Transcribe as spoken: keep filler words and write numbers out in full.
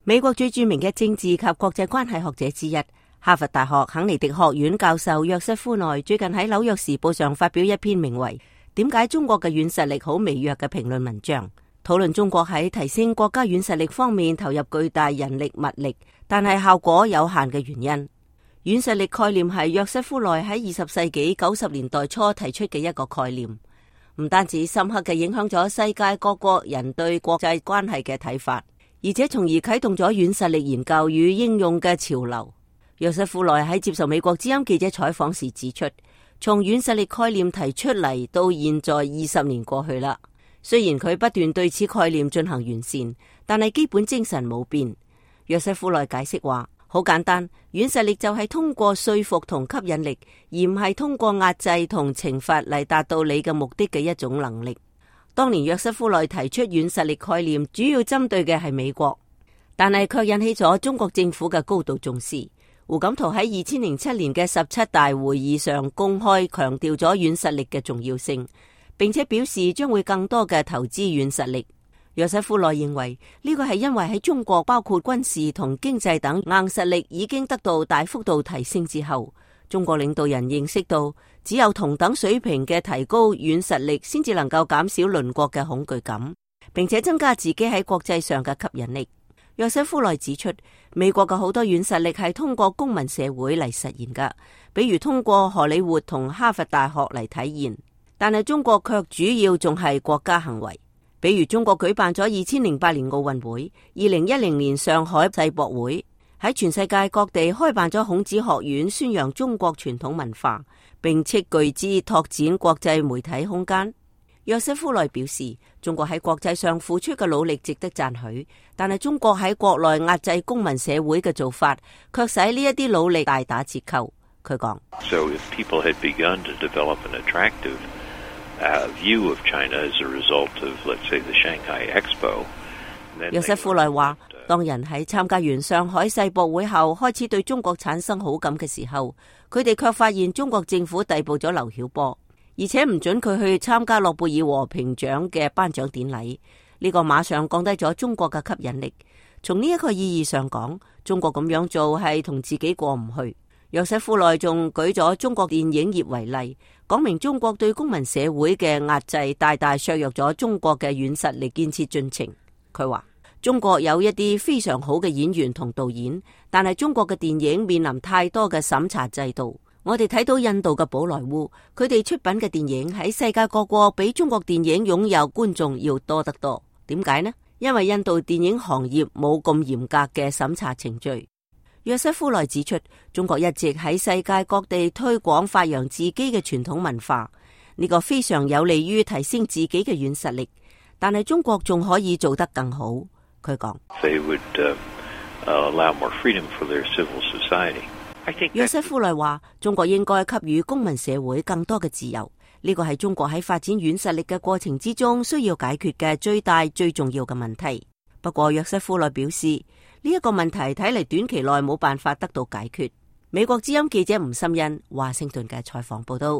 美國最著名嘅政治及國際關係學者之一，哈佛大學肯尼迪學院教授約瑟夫內最近喺《紐約時報》上發表一篇名為《點解中國嘅軟實力好微弱》嘅評論文章，討論中國喺提升國家軟實力方面投入巨大人力物力，但係效果有限嘅原因。軟實力概念係約瑟夫內喺二十世紀九十年代初提出嘅一個概念，唔單止深刻嘅影響咗世界各國人對國際關係嘅睇法，而且從而啟動咗軟實力研究與應用嘅潮流。約瑟夫內喺接受美國之音記者採訪時指出，從軟實力概念提出嚟到現在二十年過去啦，雖然佢不斷對此概念進行完善，但係基本精神冇變。約瑟夫內解釋話，好簡單，軟實力就係通過說服同吸引力，而唔係通過壓制同懲罰嚟達到你嘅目的嘅一種能力。當年約瑟夫內提出軟實力概念，主要針對嘅係美國，但係卻引起咗中國政府嘅高度重視。胡錦濤喺二千零七年嘅十七大會議上公開強調咗軟實力嘅重要性，並且表示將會更多嘅投資軟實力。約瑟夫內認為呢個係因為喺中國包括軍事同經濟等硬實力已經得到大幅度提升之後，中國領導人認識到只有同等水平嘅提高軟實力，先至能夠減少鄰國嘅恐懼感，並且增加自己喺國際上嘅吸引力。約瑟夫內指出，美國嘅好多軟實力係通過公民社會嚟實現噶，比如通過荷里活同哈佛大學嚟體現，但係中國卻主要仲係國家行為。比如中國舉辦咗二千零八年奧運會，二零一零年上海世博會，喺全世界各地開辦咗孔子學院，宣揚中國傳統文化，並斥巨資拓展國際媒體空間。約瑟夫內表示，中國喺國際上付出嘅努力值得讚許，但係中國喺國內壓制公民社會嘅做法，卻使呢一啲努力大打折扣。佢講：So if people had begun to develop an attractive Uh, view of China as a result of, let's say, the Shanghai Expo. 約瑟夫內話，當人喺參加完上海世博會後，開始對中國產生好感嘅時候，佢哋卻發現中國政府逮捕咗劉曉波，而且唔准佢去參加諾貝爾和平獎嘅頒獎典禮。呢個馬上降低咗中國嘅吸引力。從呢一個意義上講，中國咁樣做係同自己過唔去。約瑟夫內仲舉咗中國電影業為例，講明中國對公民社會嘅壓制大大削弱咗中國嘅軟實力建設進程。佢話中國有一啲非常好嘅演員同導演，但係中國嘅電影面臨太多嘅審查制度。我哋睇到印度嘅寶萊塢，佢哋出品嘅電影喺世界各國比中國電影擁有觀眾要多得多。點解呢？因為印度電影行業冇咁嚴格嘅審查程序。約瑟夫內指出，中國一直喺世界各地推廣發揚自己嘅傳統文化，呢個非常有利於提升自己嘅軟實力。但係中國仲可以做得更好。佢講，約瑟夫內話，中國應該給予公民社會更多嘅自由，呢個係中國喺發展軟實力嘅過程之中需要解決嘅最大最重要嘅問題。不過約瑟夫內表示，呢一個問題睇嚟短期內冇辦法得到解決。美國之音記者吳心欣華盛頓嘅採訪報道。